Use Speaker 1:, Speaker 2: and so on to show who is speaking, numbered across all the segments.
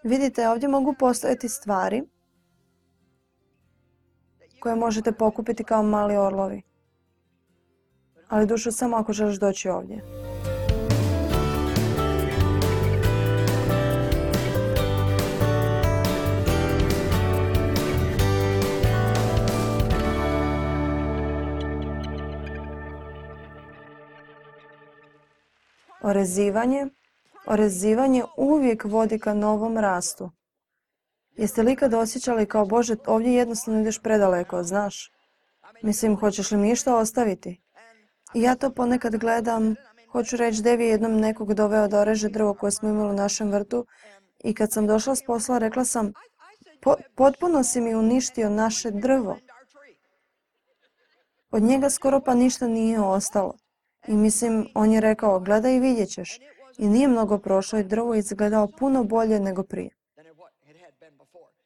Speaker 1: Vidite, ovdje mogu postojati stvari koje možete pokupiti kao mali orlovi. Ali dušo samo ako želiš doći ovdje. Orezivanje uvijek vodi ka novom rastu. Jeste li ikad osjećali kao Bože, ovdje jednostavno ideš predaleko, znaš? Mislim, hoćeš li mi išta ostaviti? I ja to ponekad gledam, hoću reći, Devi je jednom nekog doveo da oreže drvo koje smo imali u našem vrtu i kad sam došla s posla rekla sam, potpuno si mi uništio naše drvo. Od njega skoro pa ništa nije ostalo. I mislim, on je rekao, gledaj i vidjet ćeš. I nije mnogo prošlo i drvo izgledao puno bolje nego prije.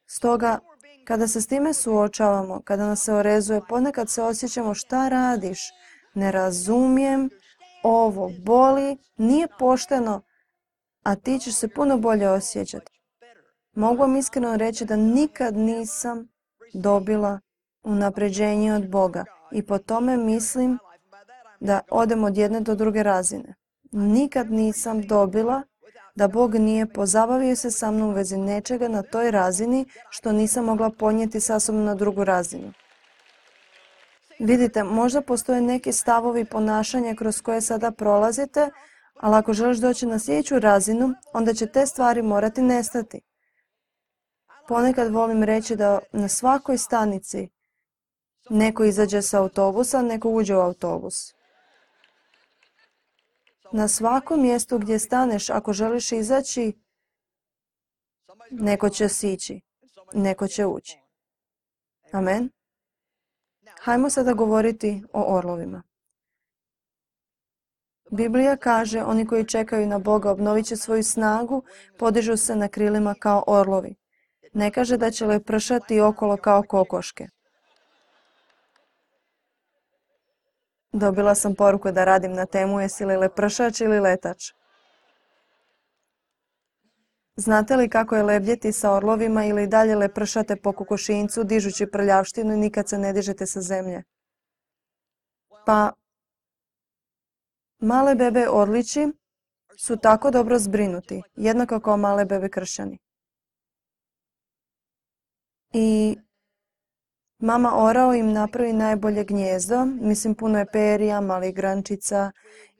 Speaker 1: Stoga, kada se s time suočavamo, kada nas se orezuje, ponekad se osjećamo šta radiš, ne razumijem, ovo boli, nije pošteno, a ti ćeš se puno bolje osjećati. Mogu vam iskreno reći da nikad nisam dobila unapređenje od Boga i po tome mislim da odem od jedne do druge razine. Nikad nisam dobila da Bog nije pozabavio se sa mnom u vezi nečega na toj razini što nisam mogla ponijeti sa sobom na drugu razinu. Vidite, možda postoje neki stavovi ponašanja kroz koje sada prolazite, ali ako želiš doći na sljedeću razinu, onda će te stvari morati nestati. Ponekad volim reći da na svakoj stanici neko izađe sa autobusa, neko uđe u autobus. Na svakom mjestu gdje staneš, ako želiš izaći, neko će sići, neko će ući. Amen. Hajmo sada govoriti o orlovima. Biblija kaže, oni koji čekaju na Boga obnovit će svoju snagu, podižu se na krilima kao orlovi. Ne kaže da će lepršati okolo kao kokoške. Dobila sam poruku da radim na temu jesi li lepršač ili letač. Znate li kako je lebdjeti sa orlovima ili dalje lepršate po kokošinjcu dižući prljavštinu i nikad se ne dižete sa zemlje? Pa, male bebe orlići su tako dobro zbrinuti, jednako kao male bebe kršćani. I mama orao im napravi najbolje gnijezdo, mislim puno je perija, malih grančica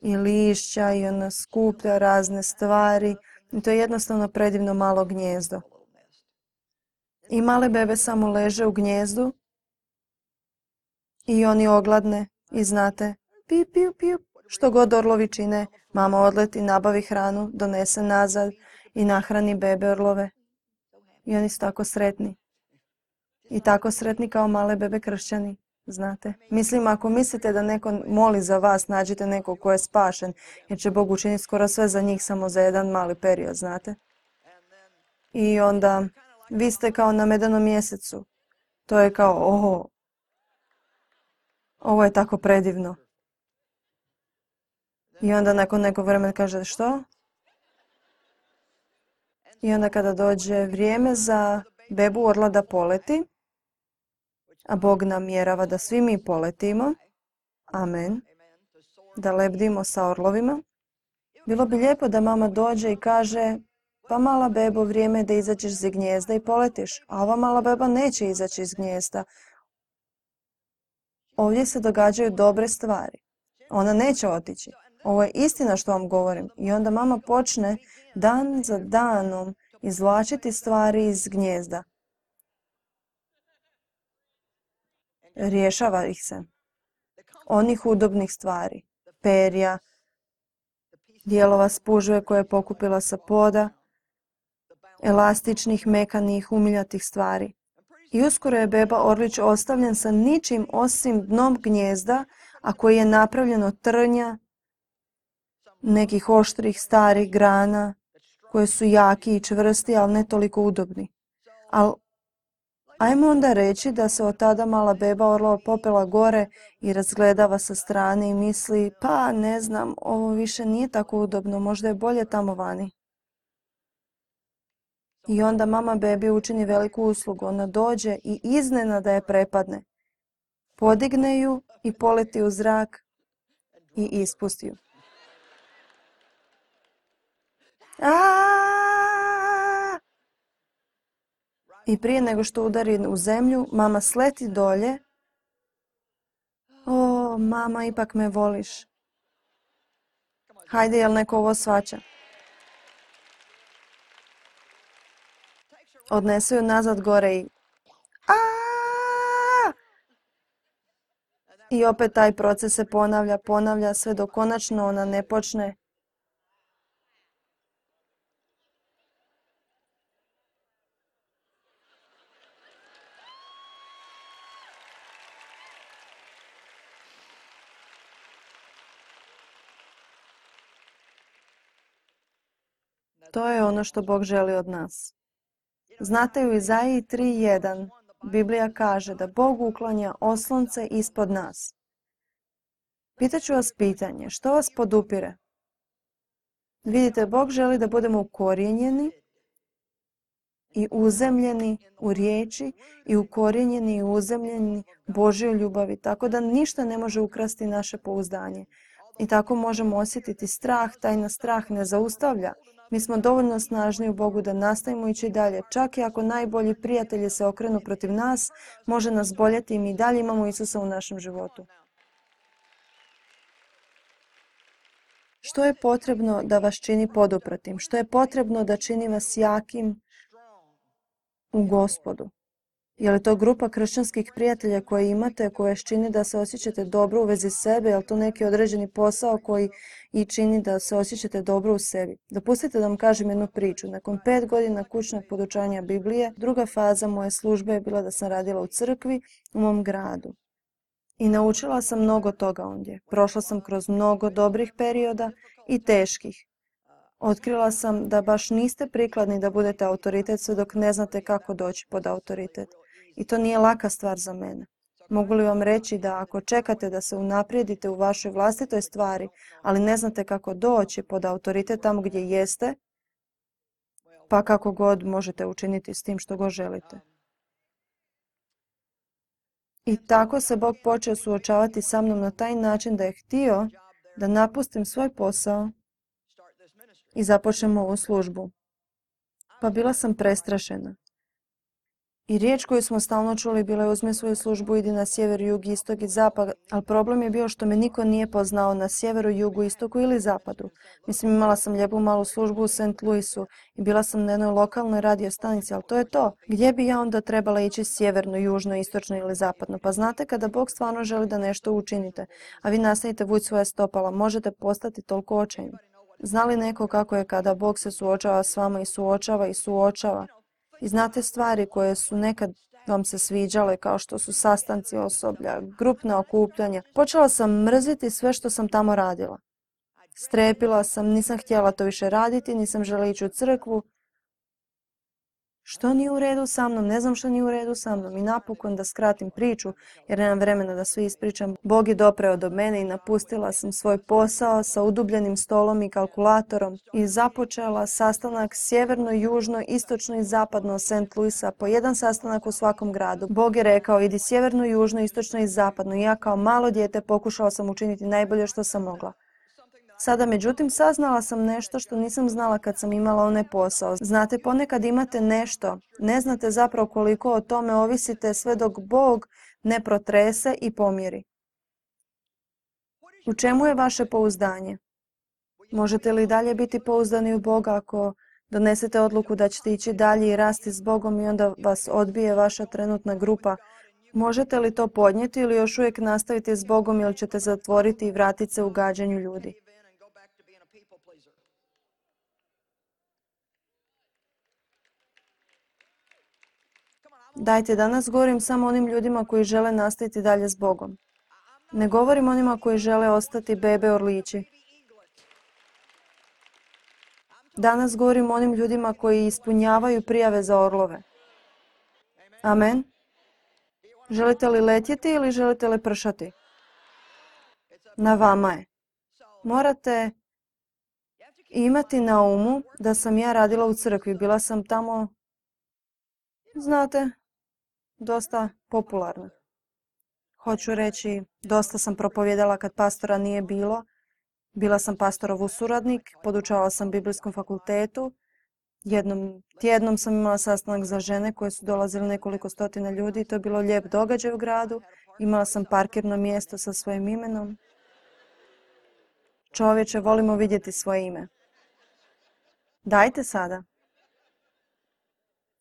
Speaker 1: i lišća i ona skuplja razne stvari. I to je jednostavno predivno malo gnijezdo. I male bebe samo leže u gnijezdu i oni ogladne i znate, piju, piju, piju. Što god orlovi čine, mama odleti, nabavi hranu, donese nazad i nahrani bebe orlove. I oni su tako sretni. I tako sretni kao male bebe kršćani, znate. Mislim, ako mislite da neko moli za vas, nađite nekog ko je spašen, jer će Bog učiniti skoro sve za njih samo za jedan mali period, znate. I onda vi ste kao na medenom mjesecu. To je kao, ovo je tako predivno. I onda nakon nekog vremena kaže, što? I onda kada dođe vrijeme za bebu orla da poleti, a Bog namjerava da svi mi poletimo, amen, da lebdimo sa orlovima, bilo bi lijepo da mama dođe i kaže, pa mala bebo, vrijeme je da izađeš iz gnijezda i poletiš, a ova mala beba neće izaći iz gnijezda. Ovdje se događaju dobre stvari. Ona neće otići. Ovo je istina što vam govorim. I onda mama počne dan za danom izvlačiti stvari iz gnijezda. Rješava ih se. Onih udobnih stvari. Perja, dijelova spužve koje je pokupila sa poda, elastičnih, mekanih, umiljatih stvari. I uskoro je beba orlić ostavljen sa ničim osim dnom gnijezda, a koji je napravljen od trnja, nekih oštrih starih grana, koje su jaki i čvrsti, ali ne toliko udobni. Ali ajmo onda reći da se od tada mala beba orlova popela gore i razgledava sa strane i misli, pa ne znam, ovo više nije tako udobno, možda je bolje tamo vani. I onda mama bebi učini veliku uslugu. Ona dođe i iznenada je prepadne. Podigne ju i poleti u zrak i ispusti ju. Aaaa! I prije nego što udari u zemlju, mama sleti dolje. O, mama, ipak me voliš. Hajde, jel neko ovo shvaća? Odnese ju nazad gore i... Aaaa! I opet taj proces se ponavlja sve dok konačno ona ne počne. To je ono što Bog želi od nas. Znate, u Izaiji 3.1 Biblija kaže da Bog uklanja oslonce ispod nas. Pitaću vas pitanje, što vas podupire? Vidite, Bog želi da budemo ukorijenjeni i uzemljeni u riječi i ukorijenjeni i uzemljeni Božjoj ljubavi, tako da ništa ne može ukrasti naše pouzdanje. I tako možemo osjetiti strah, taj nas strah ne zaustavlja. Mi smo dovoljno snažni u Bogu da nastavimo ići dalje. Čak i ako najbolji prijatelji se okrenu protiv nas, može nas boljeti i mi dalje imamo Isusa u našem životu. Što je potrebno da vas čini podupratim? Što je potrebno da čini vas jakim u Gospodu? Je li to grupa kršćanskih prijatelja koje imate, koje vas čini da se osjećate dobro u vezi sebe? Je li to neki određeni posao koji i čini da se osjećate dobro u sebi? Dopustite da vam kažem jednu priču. Nakon 5 godina kućnog podučavanja Biblije, druga faza moje službe je bila da sam radila u crkvi u mom gradu. I naučila sam mnogo toga ondje. Prošla sam kroz mnogo dobrih perioda i teških. Otkrila sam da baš niste prikladni da budete autoritet sve dok ne znate kako doći pod autoritet. I to nije laka stvar za mene. Mogu li vam reći da ako čekate da se unaprijedite u vašoj vlastitoj stvari, ali ne znate kako doći pod autoritet tamo gdje jeste, pa kako god možete učiniti s tim što god želite. I tako se Bog počeo suočavati sa mnom na taj način da je htio da napustim svoj posao i započnem ovu službu. Pa bila sam prestrašena. I riječ koju smo stalno čuli bila je uzmi svoju službu, idi na sjever, jug, istok i zapad, ali problem je bio što me niko nije poznao na sjeveru, jugu, istoku ili zapadu. Mislim, imala sam lijepu malu službu u St. Louisu i bila sam na jednoj lokalnoj radio stanici, ali to je to. Gdje bi ja onda trebala ići sjeverno, južno, istočno ili zapadno? Pa znate, kada Bog stvarno želi da nešto učinite, a vi nastavite vući svoje stopala, možete postati toliko očajni. Zna li neko kako je kada Bog se suočava s vama i suočava i suočava? I znate stvari koje su nekad vam se sviđale, kao što su sastanci osoblja, grupna okupljanja. Počela sam mrziti sve što sam tamo radila. Strepila sam, nisam htjela to više raditi, nisam željela ići u crkvu. Što nije u redu sa mnom? Ne znam što nije u redu sa mnom. I napokon, da skratim priču, jer nemam vremena da sve ispričam, Bog je dopreo do mene i napustila sam svoj posao sa udubljenim stolom i kalkulatorom i započela sastanak sjeverno, južno, istočno i zapadno St. Louisa, po jedan sastanak u svakom gradu. Bog je rekao, idi sjeverno, južno, istočno i zapadno. I ja kao malo dijete pokušala sam učiniti najbolje što sam mogla. Sada, međutim, saznala sam nešto što nisam znala kad sam imala onaj posao. Znate, ponekad imate nešto, ne znate zapravo koliko o tome ovisite sve dok Bog ne protrese i pomiri. U čemu je vaše pouzdanje? Možete li dalje biti pouzdani u Boga ako donesete odluku da ćete ići dalje i rasti s Bogom i onda vas odbije vaša trenutna grupa? Možete li to podnijeti ili još uvijek nastaviti s Bogom ili ćete zatvoriti i vratiti se u gađanju ljudi? Dajte, danas govorim samo onim ljudima koji žele nastaviti dalje s Bogom. Ne govorim onima koji žele ostati bebe orlići. Danas govorim onim ljudima koji ispunjavaju prijave za orlove. Amen. Želite li letjeti ili želite li pršati? Na vama je. Morate I imati na umu da sam ja radila u crkvi. Bila sam tamo, znate, dosta popularna. Hoću reći, dosta sam propovijedala kad pastora nije bilo. Bila sam pastorov suradnik, podučavala sam biblijskom fakultetu. Jednom tjednom sam imala sastanak za žene koje su dolazile nekoliko stotina ljudi. To je bilo lijep događaj u gradu. Imala sam parkirno mjesto sa svojim imenom. Čovječe, volimo vidjeti svoje ime. Dajte sada.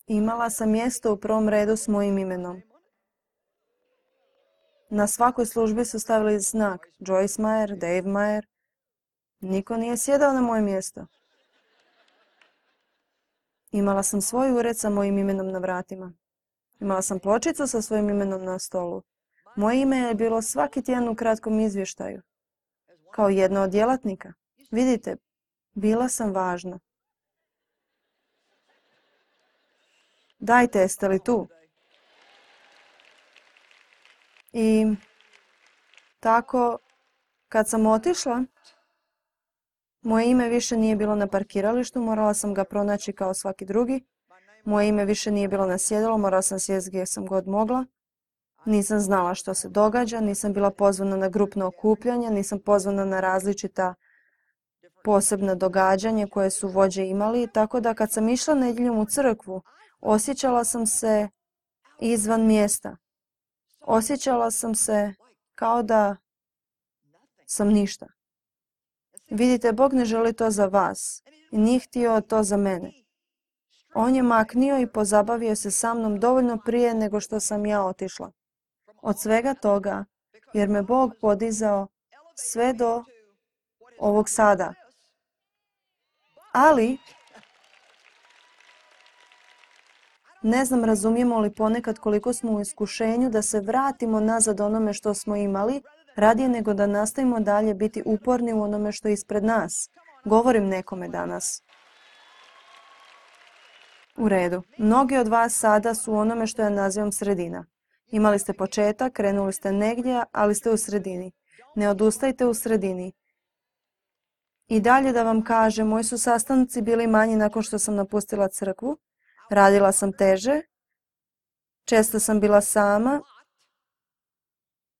Speaker 1: Imala sam mjesto u prvom redu s mojim imenom. Na svakoj službi su stavili znak Joyce Meyer, Dave Meyer. Niko nije sjedao na moje mjesto. Imala sam svoj ured sa mojim imenom na vratima. Imala sam pločicu sa svojim imenom na stolu. Moje ime je bilo svaki tjedan u kratkom izvještaju. Kao jedna od djelatnika. Vidite, bila sam važna. Dajte, jeste li tu? I tako, kad sam otišla, moje ime više nije bilo na parkiralištu, morala sam ga pronaći kao svaki drugi. Moje ime više nije bilo na sjedalu, morala sam sjesti gdje sam god mogla. Nisam znala što se događa, nisam bila pozvana na grupno okupljanje, nisam pozvana na različita posebna događanja koje su vođe imali, tako da kad sam išla nedjeljom u crkvu, osjećala sam se izvan mjesta. Osjećala sam se kao da sam ništa. Vidite, Bog ne želi to za vas i nije htio to za mene. On je maknio i pozabavio se sa mnom dovoljno prije nego što sam ja otišla. Od svega toga, jer me Bog podizao sve do ovog sada. Ali, ne znam razumijemo li ponekad koliko smo u iskušenju da se vratimo nazad onome što smo imali, radije nego da nastavimo dalje biti uporni u onome što je ispred nas. Govorim nekome danas. U redu. Mnogi od vas sada su u onome što ja nazivam sredina. Imali ste početak, krenuli ste negdje, ali ste u sredini. Ne odustajte u sredini. I dalje da vam kažem, moji su sastanci bili manji nakon što sam napustila crkvu. Radila sam teže. Često sam bila sama.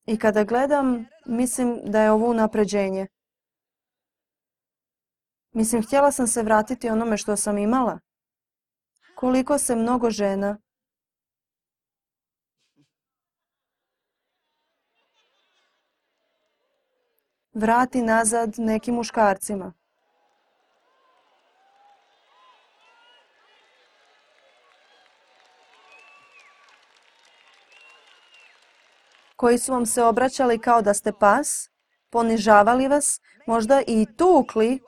Speaker 1: I kada gledam, mislim da je ovo unapređenje. Mislim, htjela sam se vratiti onome što sam imala. Koliko se mnogo žena vrati nazad nekim muškarcima. Koji su vam se obraćali kao da ste pas, ponižavali vas, možda i tukli,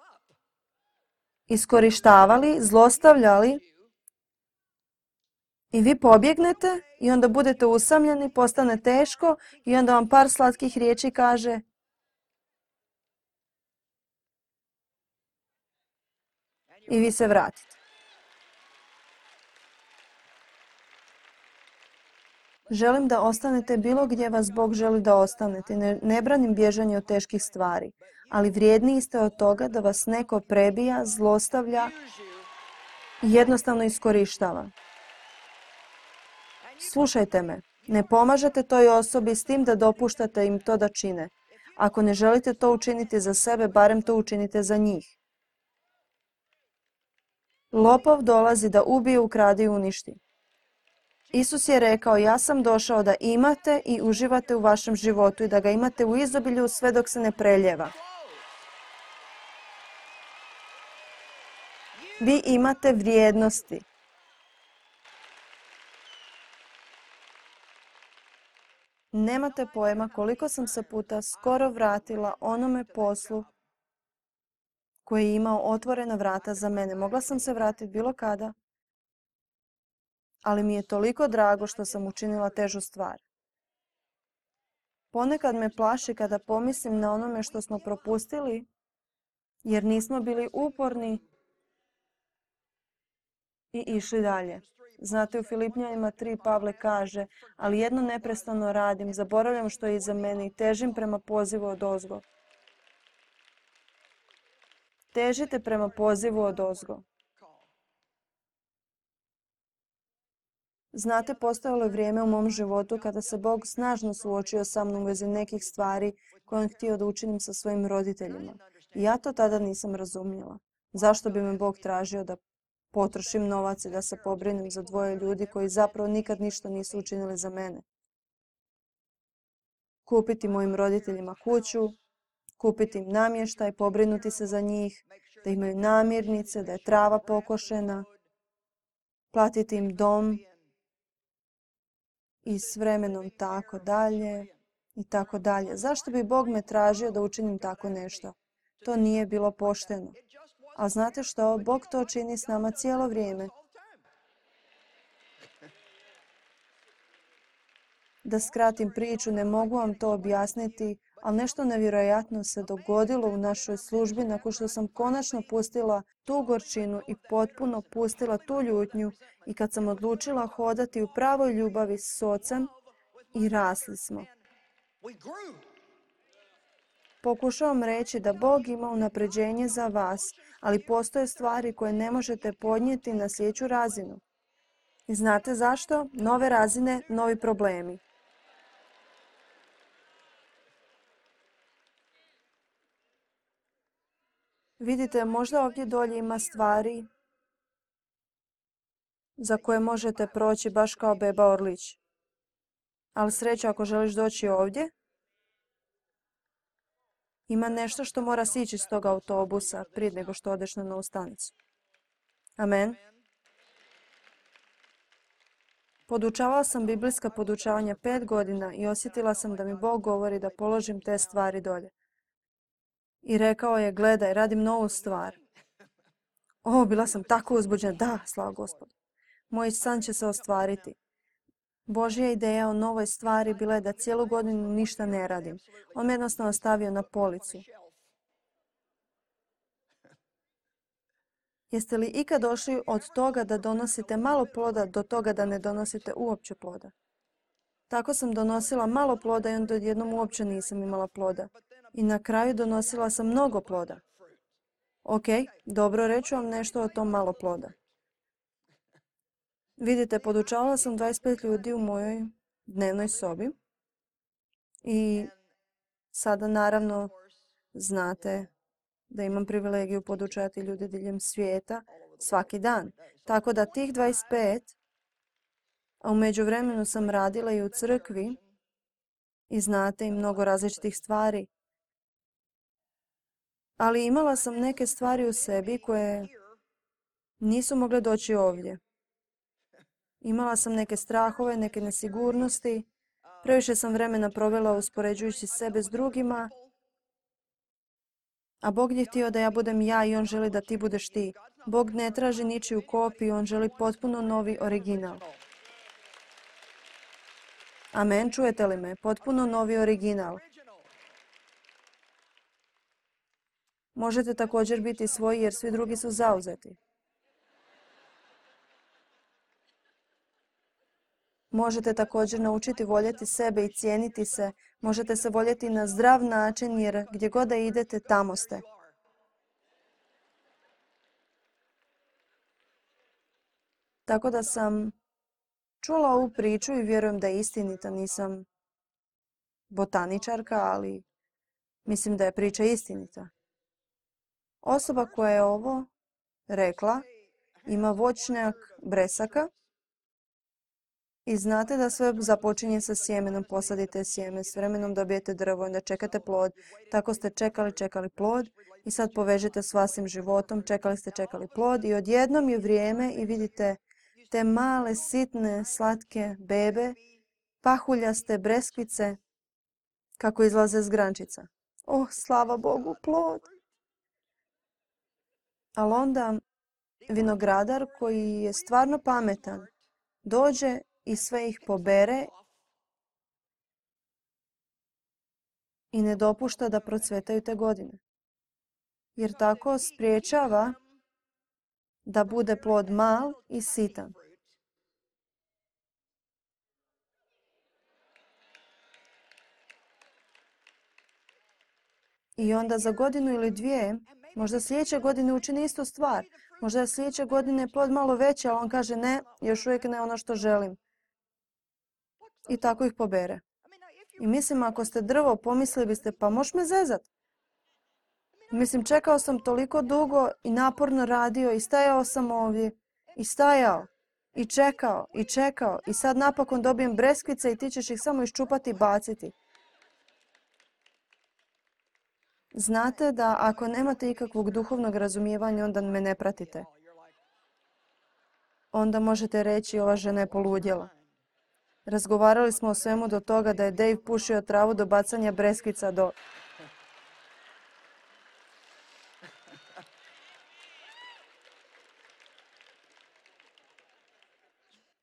Speaker 1: iskorištavali, zlostavljali. I vi pobjegnete i onda budete usamljeni, postane teško i onda vam par slatkih riječi kaže i vi se vratite. Želim da ostanete bilo gdje vas Bog želi da ostanete. Ne branim bježanje od teških stvari, ali vrijedniji ste od toga da vas neko prebija, zlostavlja i jednostavno iskorištava. Slušajte me, ne pomažete toj osobi s tim da dopuštate im to da čine. Ako ne želite to učiniti za sebe, barem to učinite za njih. Lopov dolazi da ubije, ukrade i uništi. Isus je rekao, ja sam došao da imate i uživate u vašem životu i da ga imate u izobilju sve dok se ne preljeva. Vi imate vrijednosti. Nemate pojma koliko sam se puta skoro vratila onome poslu koji je imao otvorena vrata za mene. Mogla sam se vratiti bilo kada, ali mi je toliko drago što sam učinila težu stvar. Ponekad me plaši kada pomislim na onome što smo propustili, jer nismo bili uporni i išli dalje. Znate, u Filipnjanima 3 Pavle kaže, ali jedno neprestano radim, zaboravljam što je iza mene i težim prema pozivu odozgo. Težite prema pozivu odozgo. Znate, postojalo je vrijeme u mom životu kada se Bog snažno suočio sa mnom u vezi nekih stvari koje on htio da učinim sa svojim roditeljima. I ja to tada nisam razumjela. Zašto bi me Bog tražio da potrošim novac i da se pobrinem za dvoje ljudi koji zapravo nikad ništa nisu učinili za mene? Kupiti mojim roditeljima kuću, kupiti im namještaj, pobrinuti se za njih, da imaju namirnice, da je trava pokošena, platiti im dom i s vremenom tako dalje i tako dalje. Zašto bi Bog me tražio da učinim tako nešto? To nije bilo pošteno. A znate što? Bog to čini s nama cijelo vrijeme. Da skratim priču, ne mogu vam to objasniti, ali nešto nevjerojatno se dogodilo u našoj službi nakon što sam konačno pustila tu gorčinu i potpuno pustila tu ljutnju i kad sam odlučila hodati u pravoj ljubavi s ocem i rasli smo. Pokušavam reći da Bog ima unapređenje za vas, ali postoje stvari koje ne možete podnijeti na sljedeću razinu. I znate zašto? Nove razine, novi problemi. Vidite, možda ovdje dolje ima stvari za koje možete proći baš kao beba Orlić. Ali sreća ako želiš doći ovdje, ima nešto što mora sići iz tog autobusa prije nego što odeš na novu stanicu. Amen. Podučavala sam biblijska podučavanja 5 godina i osjetila sam da mi Bog govori da položim te stvari dolje. I rekao je, gledaj, radim novu stvar. Bila sam tako uzbuđena. Da, slava Gospodu. Moj san će se ostvariti. Božja ideja o novoj stvari bila je da cijelu godinu ništa ne radim. On me jednostavno stavio na policu. Jeste li ikad došli od toga da donosite malo ploda do toga da ne donosite uopće ploda? Tako sam donosila malo ploda i onda odjednom uopće nisam imala ploda. I na kraju donosila sam mnogo ploda. Ok, dobro, reću vam nešto o tom malo ploda. Vidite, podučavala sam 25 ljudi u mojoj dnevnoj sobi. I sada naravno znate da imam privilegiju podučavati ljude diljem svijeta svaki dan. Tako da tih 25, a u međuvremenu sam radila i u crkvi i znate i mnogo različitih stvari. Ali imala sam neke stvari u sebi koje nisu mogle doći ovdje. Imala sam neke strahove, neke nesigurnosti. Previše sam vremena provela uspoređujući sebe s drugima. A Bog je htio da ja budem ja i On želi da ti budeš ti. Bog ne traži ničiju kopiju, On želi potpuno novi original. Amen, čujete li me? Potpuno novi original. Možete također biti svoji jer svi drugi su zauzeti. Možete također naučiti voljeti sebe i cijeniti se. Možete se voljeti na zdrav način jer gdje god da idete, tamo ste. Tako da sam čula ovu priču i vjerujem da je istinita. Nisam botaničarka, ali mislim da je priča istinita. Osoba koja je ovo rekla ima voćnjak bresaka i znate da sve započinje sa sjemenom. Posadite sjeme, s vremenom dobijete drvo, onda čekate plod. Tako ste čekali plod i sad povežete s vašim životom. Čekali plod i odjednom je vrijeme i vidite te male, sitne, slatke bebe, pahuljaste breskvice kako izlaze s grančica. Slava Bogu, plod! Ali onda vinogradar koji je stvarno pametan dođe i sve ih pobere i ne dopušta da procvetaju te godine. Jer tako spriječava da bude plod mal i sitan. I onda za godinu ili dvije Možda sljedeće godine učini istu stvar. Možda je sljedeće godine plod malo veći, ali on kaže ne, još uvijek ne ono što želim. I tako ih pobere. I mislim, ako ste drvo, pomislili biste, pa možeš me zezat. Mislim, čekao sam toliko dugo i naporno radio i stajao sam ovdje. I stajao. I čekao. I čekao. I sad napokon dobijem breskvice i ti ćeš ih samo iščupati i baciti. Znate da ako nemate ikakvog duhovnog razumijevanja, onda me ne pratite. Onda možete reći, ova žena je poludjela. Razgovarali smo o svemu do toga da je Dave pušio travu do bacanja breskvica do...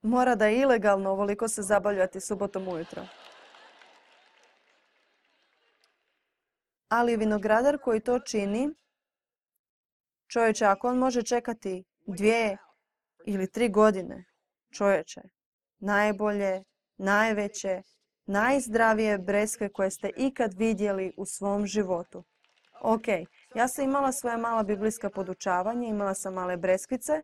Speaker 1: Mora da je ilegalno ovoliko se zabavljati subotom ujutro. Ali vinogradar koji to čini, čovječe, ako on može čekati 2 ili 3 godine, čovječe, najbolje, najveće, najzdravije breskve koje ste ikad vidjeli u svom životu. Ok, ja sam imala svoja mala biblijska podučavanja, imala sam male breskvice,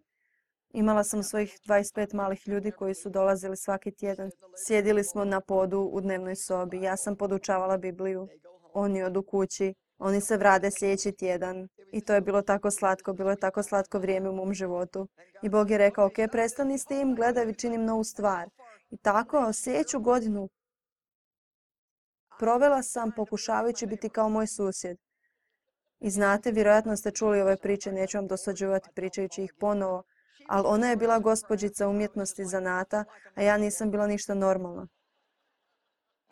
Speaker 1: imala sam svojih 25 malih ljudi koji su dolazili svaki tjedan. Sjedili smo na podu u dnevnoj sobi, ja sam podučavala Bibliju. Oni odu kući, oni se vrade sljedeći tjedan. I to je bilo tako slatko, bilo je tako slatko vrijeme u mom životu. I Bog je rekao, ok, prestani s tim, gledaj, činim novu stvar. I tako, sljedeću godinu provela sam pokušavajući biti kao moj susjed. I znate, vjerojatno ste čuli ove priče, neću vam dosađivati pričajući ih ponovo, ali ona je bila gospođica umjetnosti zanata, a ja nisam bila ništa normalna.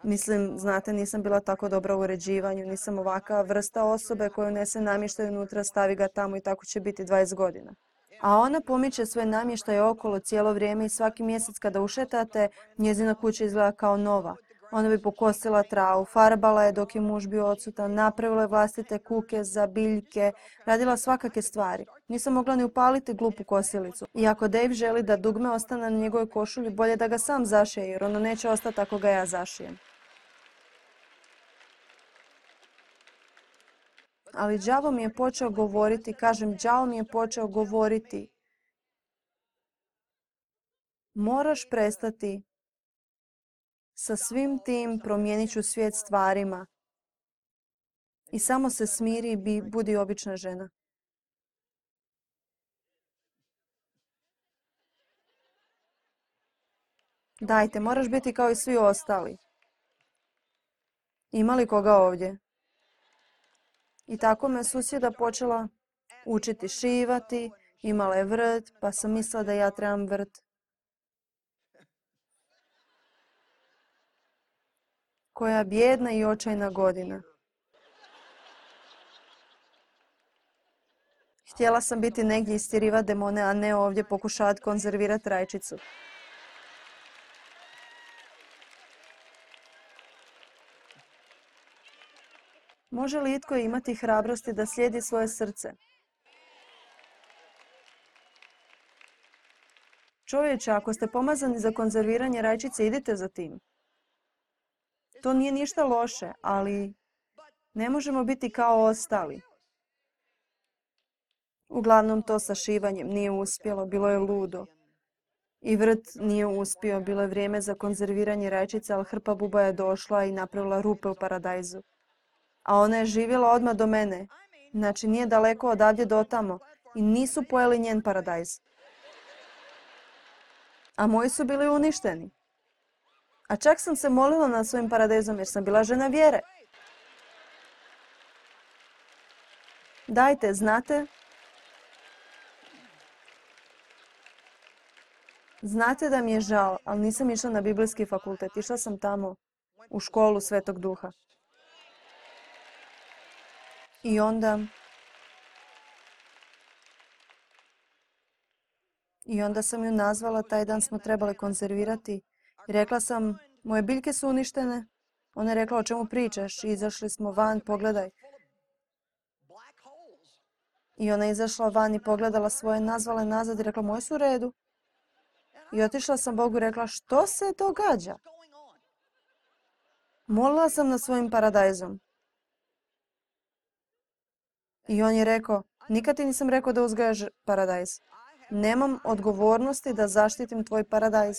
Speaker 1: Mislim, znate, nisam bila tako dobra u uređivanju, nisam ovakva vrsta osobe koja unese namještaj unutra, stavi ga tamo i tako će biti 20 godina. A ona pomiče svoj namještaj okolo cijelo vrijeme i svaki mjesec kada ušetate, njezina kuća izgleda kao nova. Ona bi pokosila travu, farbala je dok je muž bio odsutan, napravila je vlastite kuke za biljke, radila svakake stvari. Nisam mogla ni upaliti glupu kosilicu. I ako Dave želi da dugme ostane na njegovoj košulji, bolje da ga sam zašije, jer ono neće ostati ako ga ja zašijem. Ali đavo mi je počeo govoriti, kažem, đavo mi je počeo govoriti. Moraš prestati sa svim tim, promijenit ću svijet stvarima. I samo se smiri i budi obična žena. Dajte, moraš biti kao i svi ostali. Ima li koga ovdje? I tako me susjeda počela učiti šivati, imala je vrt, pa sam mislila da ja trebam vrt. Koja bijedna i očajna godina. Htjela sam biti negdje istjerivati demone, a ne ovdje pokušavati konzervirati rajčicu. Može li itko imati hrabrosti da slijedi svoje srce? Čovječe, ako ste pomazani za konzerviranje rajčice, idite za tim. To nije ništa loše, ali ne možemo biti kao ostali. Uglavnom to sa šivanjem nije uspjelo, bilo je ludo. I vrt nije uspio, bilo je vrijeme za konzerviranje rajčice, ali hrpa buba je došla i napravila rupe u paradajzu. A ona je živjela odmah do mene. Znači nije daleko odavdje do tamo. I nisu pojeli njen paradajz. A moji su bili uništeni. A čak sam se molila nad svojim paradajzom jer sam bila žena vjere. Dajte, znate? Znate da mi je žao, ali nisam išla na biblijski fakultet. Išla sam tamo u školu Svetog Duha. I onda sam ju nazvala, taj dan smo trebali konzervirati. I rekla sam, moje biljke su uništene. Ona je rekla, o čemu pričaš? I izašli smo van, pogledaj. I ona je izašla van i pogledala svoje, nazvala je nazad i rekla, moje su u redu. I otišla sam Bogu i rekla, što se događa? Molila sam nad svojim paradajzom. I on je rekao, Nikad ti nisam rekao da uzgajaš paradajz. Nemam odgovornosti da zaštitim tvoj paradajz.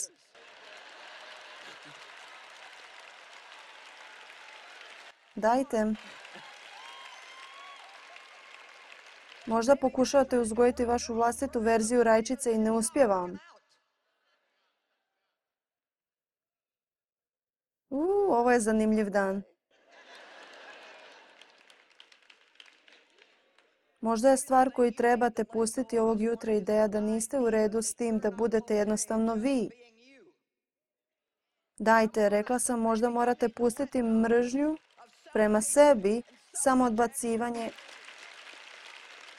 Speaker 1: Dajte. Možda pokušavate uzgojiti vašu vlastitu verziju rajčice i ne uspijeva vam. Ovo je zanimljiv dan. Možda je stvar koju trebate pustiti ovog jutra ideja da niste u redu s tim da budete jednostavno vi. Dajte, rekla sam, možda morate pustiti mržnju prema sebi, samo odbacivanje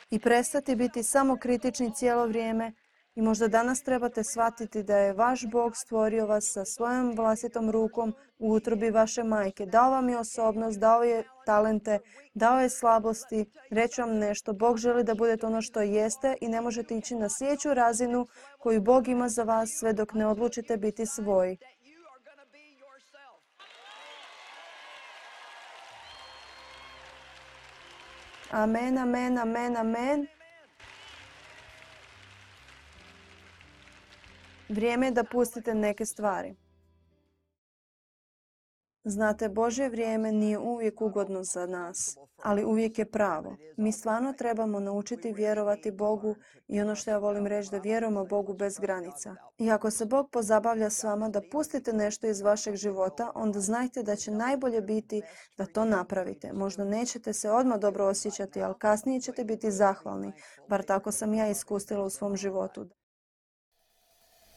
Speaker 1: i prestati biti samo kritični cijelo vrijeme. I možda danas trebate shvatiti da je vaš Bog stvorio vas sa svojom vlastitom rukom u utrobi vaše majke. Dao vam je osobnost, dao je talente, dao je slabosti. Reći vam nešto, Bog želi da budete ono što jeste i ne možete ići na sljedeću razinu koju Bog ima za vas sve dok ne odlučite biti svoji. Amen, amen, amen, amen. Vrijeme je da pustite neke stvari. Znate, Božje vrijeme nije uvijek ugodno za nas, ali uvijek je pravo. Mi stvarno trebamo naučiti vjerovati Bogu i ono što ja volim reći da vjerujemo Bogu bez granica. I ako se Bog pozabavlja s vama da pustite nešto iz vašeg života, onda znajte da će najbolje biti da to napravite. Možda nećete se odmah dobro osjećati, ali kasnije ćete biti zahvalni. Bar tako sam ja iskusila u svom životu.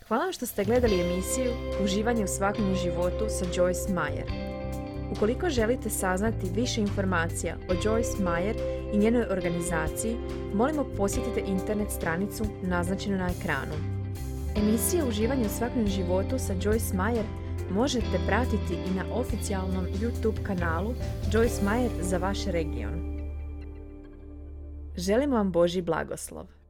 Speaker 2: Hvala vam što ste gledali emisiju Uživanje u svakodnevnom životu sa Joyce Meyer. Ukoliko želite saznati više informacija o Joyce Meyer i njenoj organizaciji, molimo posjetite internet stranicu naznačenu na ekranu. Emisije Uživanje u svakodnevnom životu sa Joyce Meyer možete pratiti i na oficijalnom YouTube kanalu Joyce Meyer za vaš region. Želimo vam Božji blagoslov.